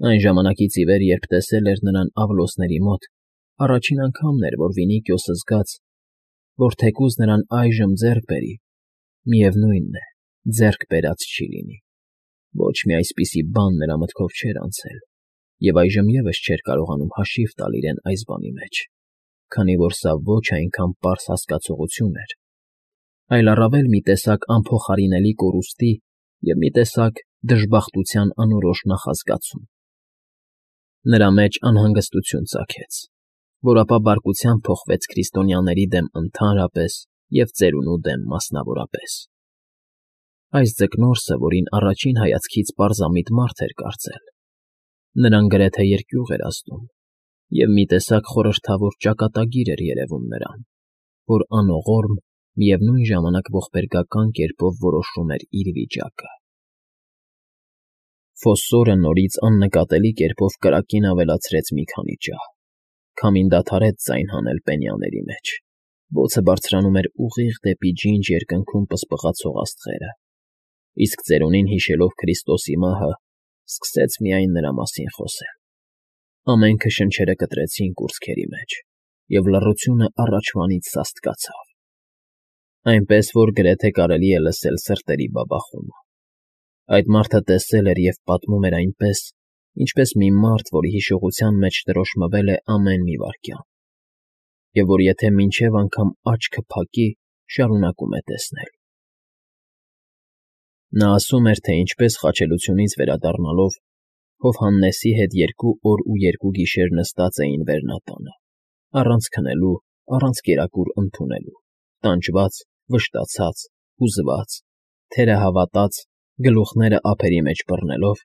Այն ժամանակից ի վեր, երբ տեսել էր նրան Ավլոսների մոտ, առաջին անգամն էր, որ Վինիքիոսը զգաց, որ թեկուզ նրան այժմ ձեռք բերի, միևնույն է, ձեռք բերած չի լինի. ոչ մի այսպիսի բան նրա մտքով չէր անցել, և այժմ ևս չէր կարողանում հաշիվ տալ իրեն այս բանի մեջ, քանի որ սա ոչ այնքան պարզ հասկացողություն էր, այլ առավել մի տեսակ անփոխարինելի կորուստի և մի տեսակ դժբախտության անորոշ նախազգացում. նրա մեջ անհանգստություն ծագեց, որ ապա բարկությամբ փոխվեց քրիստոնյաների դեմ ընդհանրապես և ծերունու դեմ մասնավորապես. այս ձկնորսը, որին առաջին հայացքից պարզամիտ մարդ էր կարծել, նրան գրեթե երկյուղ էր ազդում, և մի տեսակ խորհրդավոր ճակատագիր էր երևում նրան, որ անողորմ, միևնույն ժամանակ ողբերգական կերպով որոշում էր իր վիճակը։ Ֆոսսորը նորից աննկատելի կերպով կրակին ավելացրեց մի քանի ջահ, քամին դադարեց ձայն հանել պենյաների մեջ, բոցը բարձրանում էր ուղիղ դեպի ջինջ երկնքում պսպղացող աստղերը, իսկ ծերունին հիշելով Քրիստոսի մահը, սկսեց միայն նրա մասին խոսել։ Ամենքը շնչերը կտրեցին կուրծքերի մեջ, և լռությունը առաջվանից սաստկացավ, այնպես որ գրեթե կարելի է լսել սրտերի բաբախումը։ Այդ մարդը տեսել էր և պատմում էր այնպես, ինչպես մի մարդ, որի հիշողության մեջ տրոշմվել է ամեն մի վայրկյան, և որ եթե մինչև անգամ աչքը փակի, շարունակում է տեսնել։ Նա ասում էր, թե ինչպես խաչելությունից վերադառնալով Հովհաննեսի հետ 2 օր ու 2 գիշեր նստած էին վերնատանը, առանց քնելու, առանց կերակուր ընդունելու, տանջված, վշտացած, հուզված, թերը հավատած, գլուխները ափերի մեջ բռնելով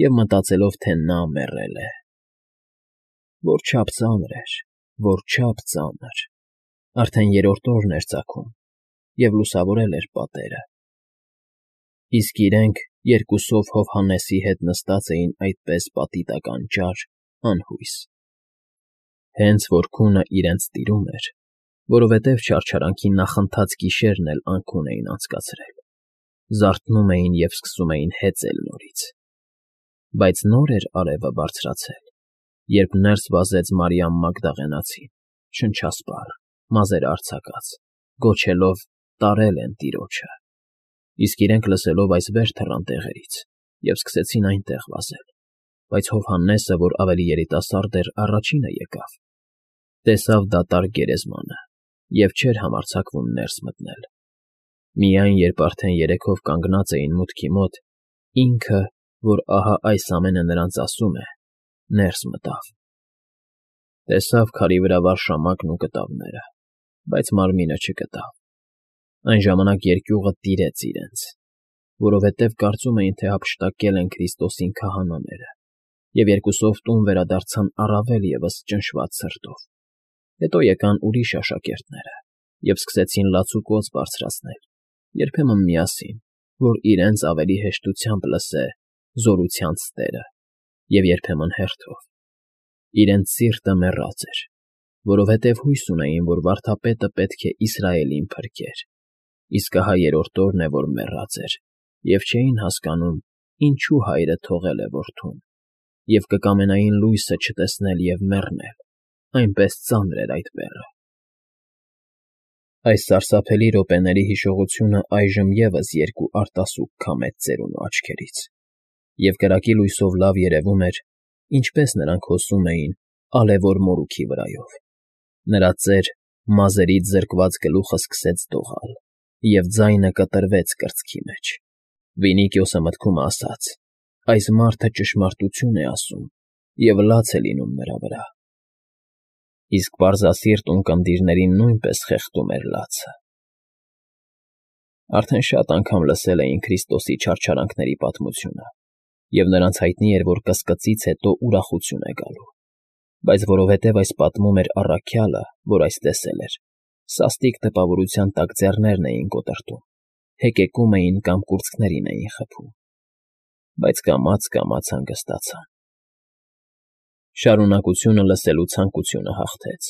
և մտածելով, թե նա մեռել է։ Որչափ ծանր էր, որչափ ծանր… Արդեն 3-րդ օրն էր ծագում, և լուսավորել էր պատերը, իսկ իրենք երկուսով Հովհաննեսի հետ նստած էին այդպես պատի տակ անճար, անհույս։ Հենց որ քունը իրենց տիրում էր, որովհետև չարչարանքի նախընթաց գիշերն էլ անքուն էին անցկացրել, զարթնում էին և սկսում էին հեծել նորից։ Բայց նոր էր արևը բարձրացել, երբ ներս վազեց Մարիամ Մագդաղենացին, շնչասպառ, մազերը արձակած, գոչելով. «Տարել են Տիրոջը»։ Իսկ իրենք լսելով այս վեր թռան տեղերից և սկսեցին այնտեղ վազել, բայց Հովհաննեսը, որ ավելի երիտասարդ էր, առաջինը եկավ, տեսավ դատարկ գերեզմանը և չէր համարձակվում ներս մտնել։ Միայն երբ արդեն երեքով կանգնած էին մուտքի մոտ, ինքը, որ ահա այս ամենը նրանց ասում է, ներս մտավ։ Տեսավ քարի վրա վարշամակն ու կտավները, բայց մարմինը չգտավ։ Այն ժամանակ երկյուղը տիրեց իրենց, որովհետև կարծում էին, թե հափշտակել են Քրիստոսին քահանաները, և երկուսով տուն վերադարձան առավել ևս ճնշված սրտով։ Հետո եկան ուրիշ աշակերտները և սկսեցին լաց ու կոծ բարձրացնել, երբեմն միասին, որ իրենց ավելի հեշտությամբ լսե զորությանց Տերը, և երբեմն հերթով։ Իրենց սիրտը մեռած էր, որովհետև հույս ունեին, որ վարդապետը պետք է Իսրայելին փրկեր, իսկ ահա 3-րդ օրն է, որ մեռած էր, և չէին հասկանում, ինչու հայրը թողել է որդուն, և կկամենային լույսը չտեսնել և մեռնել, այնպես ծանր էր այդ բեռը։ Այս սարսափելի րոպեների հիշողությունը այժմ ևս 2 արտասուք քամեց ծերունու աչքերից, և կրակի լույսով լավ երևում էր, ինչպես նրանք հոսում էին ալևոր մորուքի վրայով։ Նրա ծեր, մազերից զրկված գլուխը սկսեց դողալ, և ձայնը կտրվեց կրծքի մեջ։ Վինիքիոսը մտքում ասաց. «Այս մարդը ճշմարտություն է ասում, և լաց է լինում նրա վրա»։ Իսկ պարզասիրտ ունկնդիրներին նույնպես խեղդում էր լացը։ Արդեն շատ անգամ լսել էին Քրիստոսի չարչարանքների պատմությունը, և նրանց հայտնի էր, որ կսկծից հետո ուրախություն է գալու, բայց որովհետև այս պատմում էր առաքյալը, որ այս տեսել էր, սաստիկ տպավորության տակ ձեռներն էին կոտրտում, հեկեկում էին կամ կուրծքներին էին խփում, բայց կամաց֊կամաց հանգստացան։ Շարունակությունը լսելու ցանկությունը հաղթեց։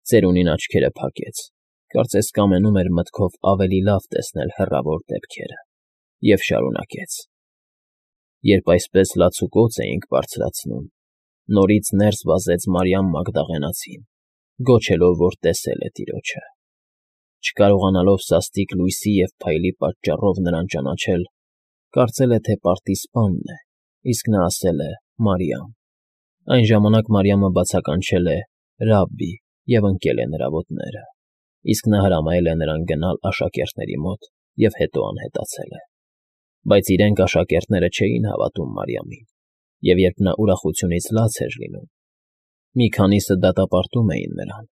Ծերունին աչքերը փակեց, կարծես կամենում էր մտքով ավելի լավ տեսնել հեռավոր դեպքերը, և շարունակեց. Երբ այսպես լացուկոծ էինք բարձրացնում, նորից ներս վազեց Մարիամ Մագդաղենացին, գոչելով, որ տեսել է տիրոջը։ Չկարողանալով սաստիկ լույսի և փայլի պատճառով նրան ճանաչել, կարծել է, թե պարտի սպանն է, իսկ նա ասել է. «Մարիամ»։ Այն ժամանակ Մարիամը բացականչել է. «Ռաբբի» և ընկել է նրա ոտները, իսկ նա հրամայել է նրան գնալ աշակերտների մոտ և հետո անհետացել է։ Բայց իրենք աշակերտները չէին հավատում Մարիամին, և երբ նա ուրախությունից լաց էր լինում, մի քանիսը դատապարտում էին նրան,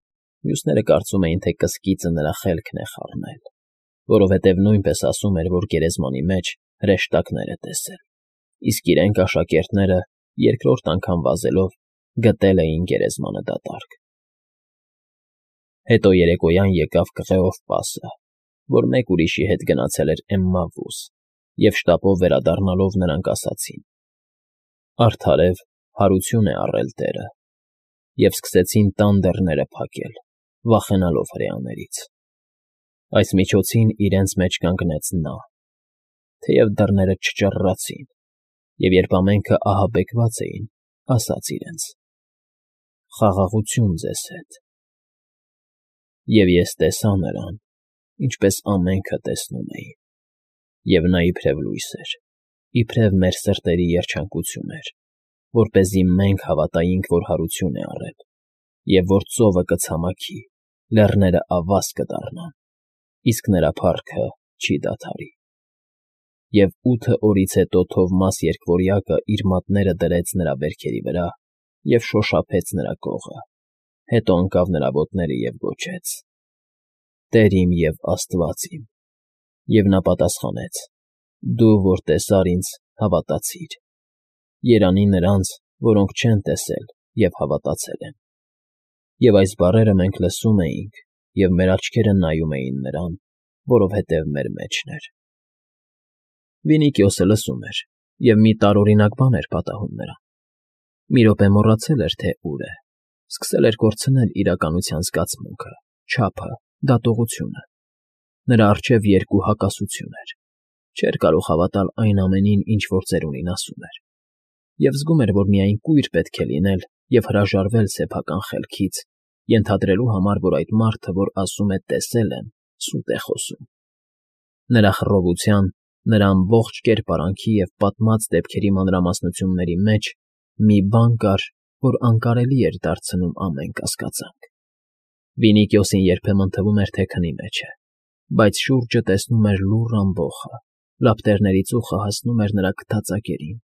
մյուսները կարծում էին, թե կսկիծը նրա խելքն է խառնել, որովհետև նույնպես ասում էր, որ գերեզմանի մեջ հրեշտակներ է տեսել, իսկ իրենք աշակերտները, երկրորդ անգամ վազելով, գտել էին գերեզմանը դատարկ։ Հետո երեկոյան եկավ Կղեոֆպասը, որ մեկ ուրիշի հետ գնացել էր Էմմավուս, և շտապով վերադառնալով նրանք ասացին. «Արդարև հարություն է առել Տերը», և սկսեցին տան դռները փակել, վախենալով հրեաներից։ Այս միջոցին իրենց մեջ կանգնեց նա, թեև դռները չճռռացին, և երբ ամենքը ահաբեկված էին, ասաց իրենց. «Խաղաղություն ձեզ հետ»։ Եվ ես տեսա նրան, ինչպես ամենքը տեսնում էին, և նա իբրև լույս էր, իբրև մեր սրտերի երջանկություն էր, որպեսզի մենք հավատայինք, որ հարություն է առել, և որ ծովը կցամաքի, լեռները ավազ կդառնան, իսկ նրա փառքը չի դադարի։ Եվ 8 օրից հետո Թովմաս Երկվորյակը իր մատները դրեց նրա վերքերի վրա և շոշափեց նրա կողը, հետո ընկավ նրա ոտները և գոչեց. «Տեր իմ և Աստված իմ»։ Եվ նա պատասխանեց. «Դու, որ տեսար ինձ, հավատացիր. երանի նրանց, որոնք չեն տեսել և հավատացել են»։ Եվ այս բառերը մենք լսում էինք, և մեր աչքերը նայում էին նրան, որովհետև մեր մեջն էր։ Վինիկիոսը լսում էր և մի տարօրինակ բան էր պատահում նրան։ Մի րոպե մոռացել էր, թե ուր է, սկսել էր կորցնել իրականության զգացմունքը, չափը, դատողությունը։ Նրա առջև երկու հակասություն էր. չէր կարող հավատալ այն ամենին, ինչ որ ծերունին ասում էր, և զգում էր, որ միայն կույր պետք է լինել և հրաժարվել սեփական խելքից, ենթադրելու համար, որ այդ մարդը, որ ասում է «տեսել եմ», սուտ է խոսում։ Նրա խռովության, նրա ամբողջ կերպարանքի և պատմած դեպքերի մանրամասնությունների մեջ մի բան կար, որ անկարելի էր դարձնում ամեն կասկածանք։ Վինիկիոսին երբեմն թվում էր, թե քնի մեջ է, բայց շուրջը տեսնում էր լուռ ամբոխը, լապտերների ծուխը հասնում էր նրա քթածակերին,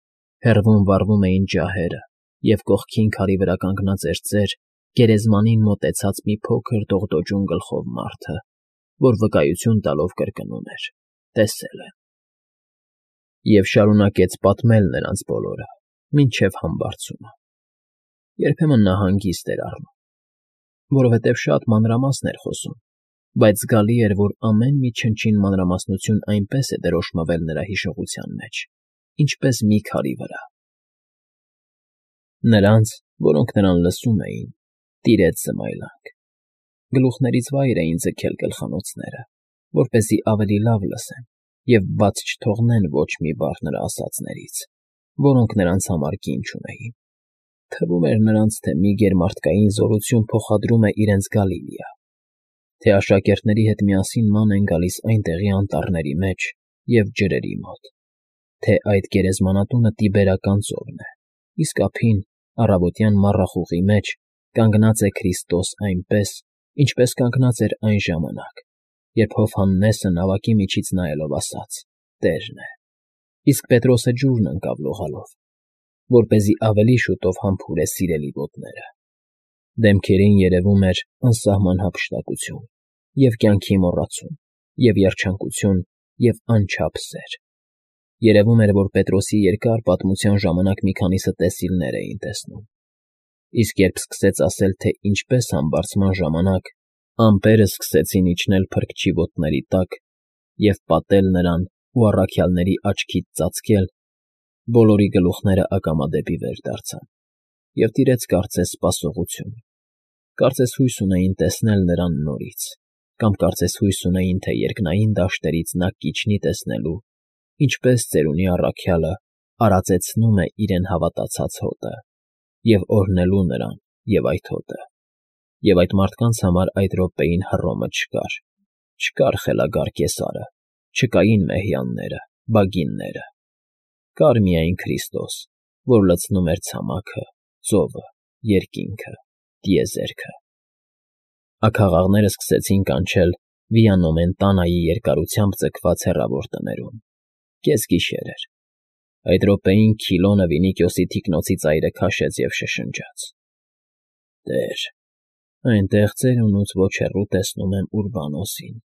հեռվում վառվում էին ջահերը, և կողքին քարի վրա կանգնած էր ծեր, գերեզմանին մոտեցած մի փոքր դողդոջուն գլխով մարդը, որ վկայություն տալով կրկնում էր. «Տեսել եմ»։ Եվ շարունակեց պատմել նրանց բոլորը, մինչև համբարձումը։ Երբեմն նա հանգիստ էր առնում, որովհետև շատ մանրամասն էր խոսում, բայց զգալի էր, որ ամեն մի չնչին մանրամասնություն այնպես է դրոշմվել նրա հիշողության մեջ, ինչպես մի քարի վրա։ Նրանց, որոնք նրան լսում էին, տիրեց զմայլանք։ Գլուխներից վայր էին ձգել գլխանոցները, որպեսզի ավելի լավ լսեն և բաց չթողնեն ոչ մի բառ նրա ասածներից, որոնք նրանց համար կին չունեին։ Թվում էր նրանց, թե մի գերմարդկային զորություն փոխադրում է իրենց Գալիլեա, թե աշակերտների հետ միասին ման են գալիս այնտեղի անտառների մեջ և ջրերի մոտ, թե այդ գերեզմանատունը Տիբերական ծովն է, իսկ ափին, առավոտյան մառախուղի մեջ, կանգնած է Քրիստոս այնպես, ինչպես կանգնած էր այն ժամանակ, երբ Հովհաննեսը նավակի միջից նայելով ասաց. «Տերն է», իսկ Պետրոսը ջուրն ընկավ լողալով, որպեսզի ավելի շուտով համբուրե սիրելի ոտները։ Դեմքերին երևում էր անսահման հափշտակություն, և կյանքի մոռացում, և երջանկություն, և անչափ սեր։ Երևում էր, որ Պետրոսի երկար պատմության ժամանակ մի քանիսը տեսիլներ էին տեսնում, իսկ երբ սկսեց ասել, թե ինչպես համբարձման ժամանակ ամպերը սկսեցին իջնել փրկչի ոտների տակ և պատել նրան ու առաքյալների աչքից ծածկել, բոլորի գլուխները ակամա դեպի վեր դարձան, և տիրեց կարծես սպասողություն, կարծես հույս ունեին տեսնել նրան նորից, կամ կարծես հույս ունեին, թե երկնային դաշտերից նա կիջնի տեսնելու, ինչպես ծերունի առաքյալը արածեցնում է իրեն հավատացած հոտը, և օրհնելու նրան և այդ հոտը, և այդ մարդկանց համար այդ րոպեին Հռոմը չկար, չկար խելագար Կեսարը, չկային մեհյանները, բագինները, կար միայն Քրիստոս, որ լցնում էր ցամաքը, ծովը, երկինքը, տիեզերքը։ Աքաղաղները սկսեցին կանչել Վիանոմեն տանայի երկարությամբ ձգված հեռավոր տներում։ Կեսգիշեր էր։ Այդ րոպեին Քիլոնը Վինիքիոսի թիկնոցի ծայրը քաշեց և շշնջաց. «Տեր, այնտեղ ծերունուց ոչ հեռու տեսնում եմ Ուրբանոսին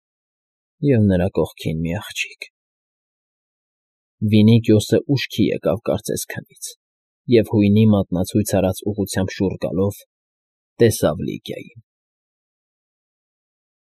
և նրա կողքին մի աղջիկ»։ Վինիքիոսը ուշքի եկավ կարծես քնից և հույնի մատնացույց արած ուղղությամբ շուռ գալով՝ տեսավ Լիգիային։